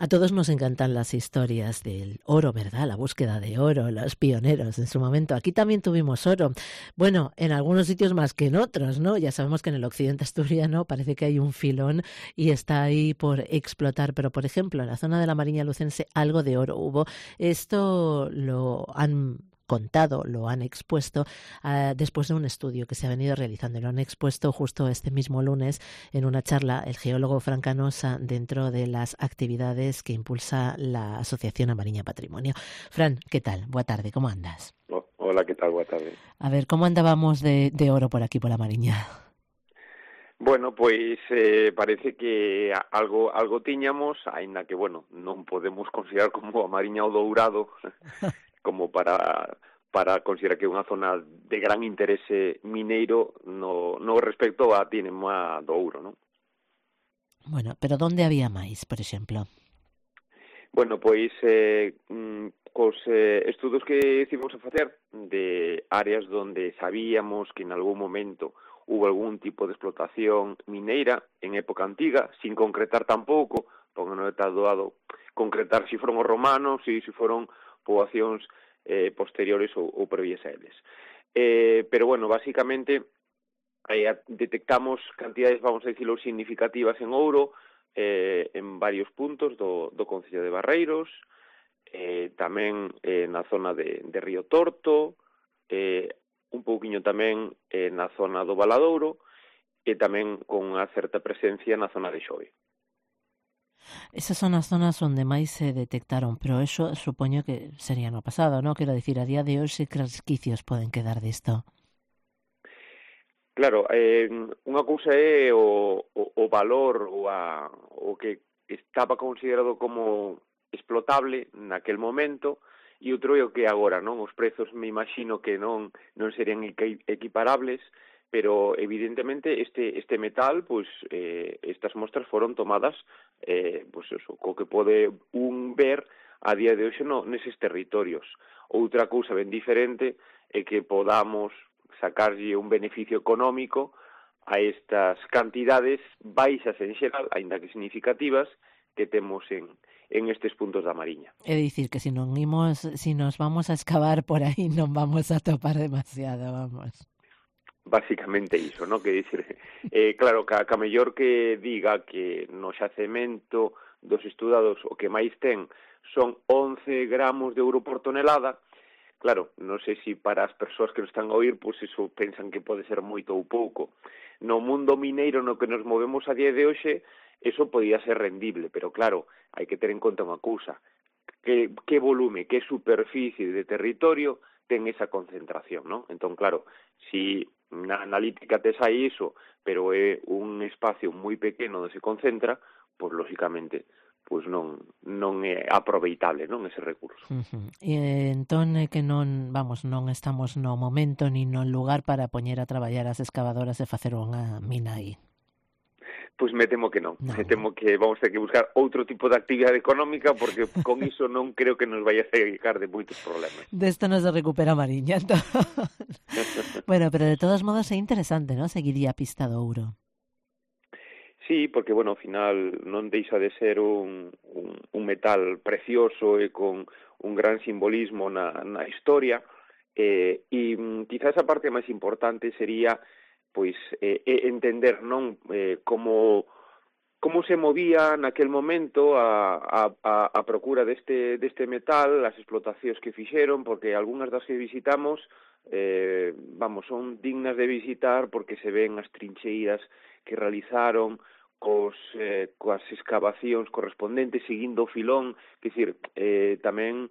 A todos nos encantan las historias del oro, ¿verdad? La búsqueda de oro, los pioneros en su momento. Aquí también tuvimos oro. Bueno, en algunos sitios más que en otros, ¿no? Ya sabemos que en el occidente asturiano parece que hay un filón y está ahí por explotar. Pero, por ejemplo, en la zona de la Mariña Lucense algo de oro hubo. Esto lo han contado, lo han expuesto después de un estudio que se ha venido realizando. Lo han expuesto justo este mismo lunes en una charla el geólogo Fran Canosa dentro de las actividades que impulsa la Asociación Amariña Patrimonio. Fran, ¿qué tal? Buena tarde, ¿cómo andas? Hola, ¿qué tal? Buena tarde. A ver, ¿cómo andábamos de oro por aquí, por la Mariña? Bueno, pois parece que algo tiñamos, aínda que, bueno, non podemos considerar como a Mariña o Dourado como para considerar que é unha zona de gran interese mineiro no respecto a Tinema do Ouro, non? Bueno, pero ¿dónde había máis, por exemplo? Bueno, pois cos estudos que estivemos a facer de áreas donde sabíamos que en algún momento hubo algún tipo de explotación mineira en época antiga, sin concretar tampouco, porque non está doado concretar se foron os romanos e se foron poboacións posteriores ou previas a eles. Pero, bueno, básicamente detectamos cantidades, vamos a dicirlo, significativas en ouro, en varios puntos do concello de Barreiros, tamén na zona de Río Torto, un pouquiño tamén na zona do Valadouro e tamén con unha certa presencia na zona de Xove. Esas son as zonas onde máis se detectaron, pero eso supoño que sería no pasado, ¿no? Quero dicir, a día de hoxe que resquicios poden quedar disto? Claro, unha cousa é o valor o que estaba considerado como explotable naquel momento e outro é o que agora, non? Os prezos me imagino que non serían equiparables, pero evidentemente este metal, pois estas mostras foron tomadas pois eso, co que pode un ver a día de hoxe neses territorios. Outra cousa ben diferente é que podamos sacarlle un beneficio económico a estas cantidades baixas en xeral, aínda que significativas, que temos en estes puntos da Mariña. É dicir que se nos vamos a excavar por aí non vamos a topar demasiado, vamos. Básicamente iso, non? Que dicir, claro, ca mellor que diga que no xacemento dos estudados o que máis ten son 11 gramos de ouro por tonelada. Claro, non sei se para as persoas que nos están a oír, pois iso pensan que pode ser moito ou pouco. No mundo mineiro no que nos movemos a día de hoxe, eso podía ser rendible, pero claro, hai que ter en conta unha cousa, que volume, que superficie de territorio ten esa concentración, non? Entón, claro, si na analítica tes aí iso, pero é un espacio moi pequeno onde se concentra, pois, lóxicamente, pois non é aproveitable, non, ese recurso. E entón é que non estamos no momento ni no lugar para poñer a traballar as excavadoras e facer unha mina aí. Pois me temo que non. Me temo que vamos ter que buscar outro tipo de actividade económica porque con iso non creo que nos vaya a sacar de moitos problemas. Desto non se recupera a Mariña, entón. Bueno, pero de todos modos é interesante, non? Seguiría a pista do ouro. Sí, porque, bueno, ao final non deixa de ser un metal precioso e con un gran simbolismo na historia, e quizás a parte máis importante sería pois entender, non, como se movía naquel momento a procura deste metal, as explotacións que fixeron, porque algunhas das que visitamos son dignas de visitar porque se ven as trincheiras que realizaron coas excavacións correspondentes, seguindo o filón, que dicir, tamén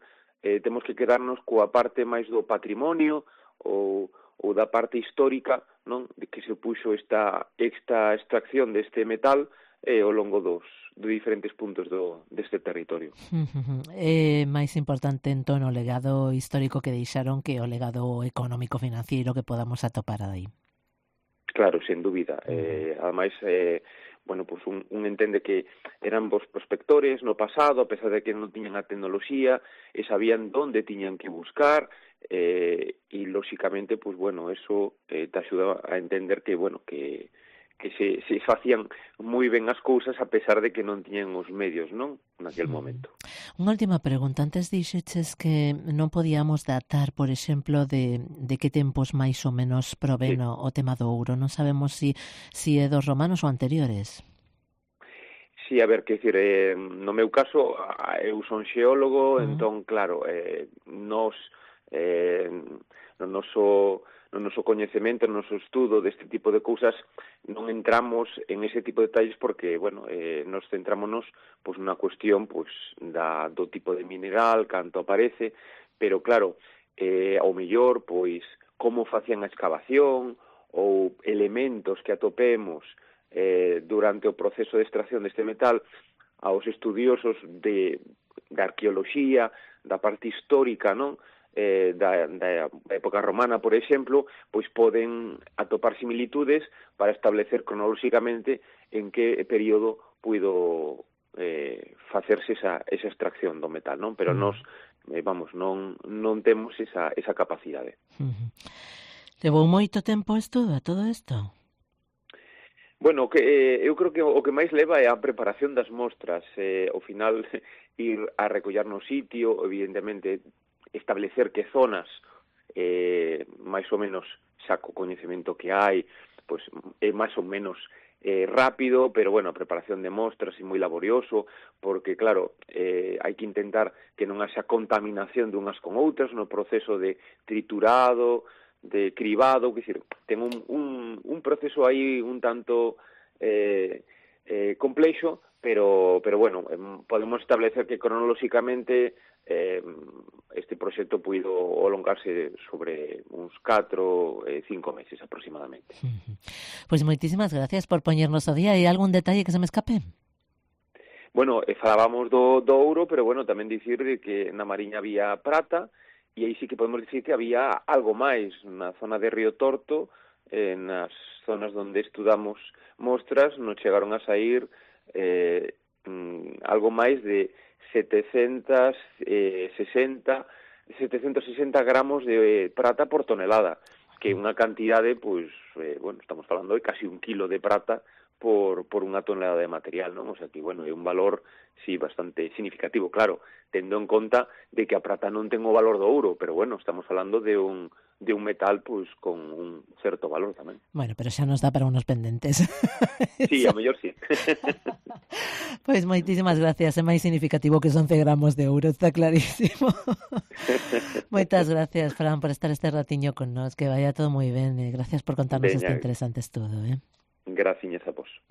temos que quedarnos coa parte máis do patrimonio ou da parte histórica, non, de que se puxo esta extracción deste metal ao longo dos diferentes puntos deste territorio. É máis importante entón o legado histórico que deixaron que o legado económico-financiero que podamos atopar aí. Claro, sen dúbida. Ademais, bueno, pues un entende que eran bons prospectores no pasado, a pesar de que non tiñan a tecnoloxía, e sabían onde tiñan que buscar, e lóxicamente, pues bueno, eso te axuda a entender que, bueno, que se facían moi ben as cousas a pesar de que non tiñan os medios, non? Naquel momento. Unha última pregunta. Antes dixeches que non podíamos datar, por exemplo, de que tempos máis ou menos provén o tema do ouro. Non sabemos si é dos romanos ou anteriores. Sí, a ver, que dicir, no meu caso, eu son xeólogo, entón, claro, no noso coñecemento, no noso estudo deste tipo de cousas, non entramos en ese tipo de detalles porque, bueno, nos centrámonos pois nunha cuestión pois do tipo de mineral, canto aparece, pero claro, ao mellor, pois, como facían a excavación ou elementos que atopemos durante o proceso de extracción deste metal, aos estudiosos da arqueoloxía, da parte histórica, non? Da época romana, por exemplo, pois poden atopar similitudes para establecer cronolóxicamente en que período puido facerse esa extracción do metal, non? Pero nós, non temos esa capacidade. Levou moito tempo o estudo a todo isto? Bueno, eu creo que o que máis leva é a preparación das mostras, ao final ir a recollar no sitio, evidentemente establecer que zonas máis ou menos xa co coñecemento que hai, pois é máis ou menos rápido, pero bueno, a preparación de mostras é moi laborioso, porque claro, hai que intentar que non haxa contaminación de unhas con outras no proceso de triturado, de cribado, que decir, ten un proceso aí un tanto complexo, pero bueno, podemos establecer que cronolóxicamente este proxecto puido alongarse sobre uns 4, 5 meses aproximadamente. Pois moitísimas gracias por poñernos ao día. Hai algún detalle que se me escape? Bueno, falábamos do ouro, pero bueno, tamén dicir que na Mariña había prata, e aí sí que podemos dicir que había algo máis na zona de Río Torto, nas zonas onde estudamos mostras, nos chegaron a sair algo máis de 760 gramos de prata por tonelada, que é unha cantidade, pois, bueno, estamos falando de casi 1 kilo de prata por unha tonelada de material, non? O sea que, bueno, é un valor, sí, bastante significativo, claro, tendo en conta de que a prata non ten o valor do ouro, pero, bueno, estamos falando de un metal, pois, con un certo valor tamén. Bueno, pero xa nos dá para unos pendentes. Sí, a mellor sí. Pois moitísimas gracias, é máis significativo que 11 gramos de ouro, está clarísimo. Moitas gracias, Fran, por estar este ratiño con nós, que vaya todo moi ben, gracias por contarnos este interesante estudo, Graciñas a vos.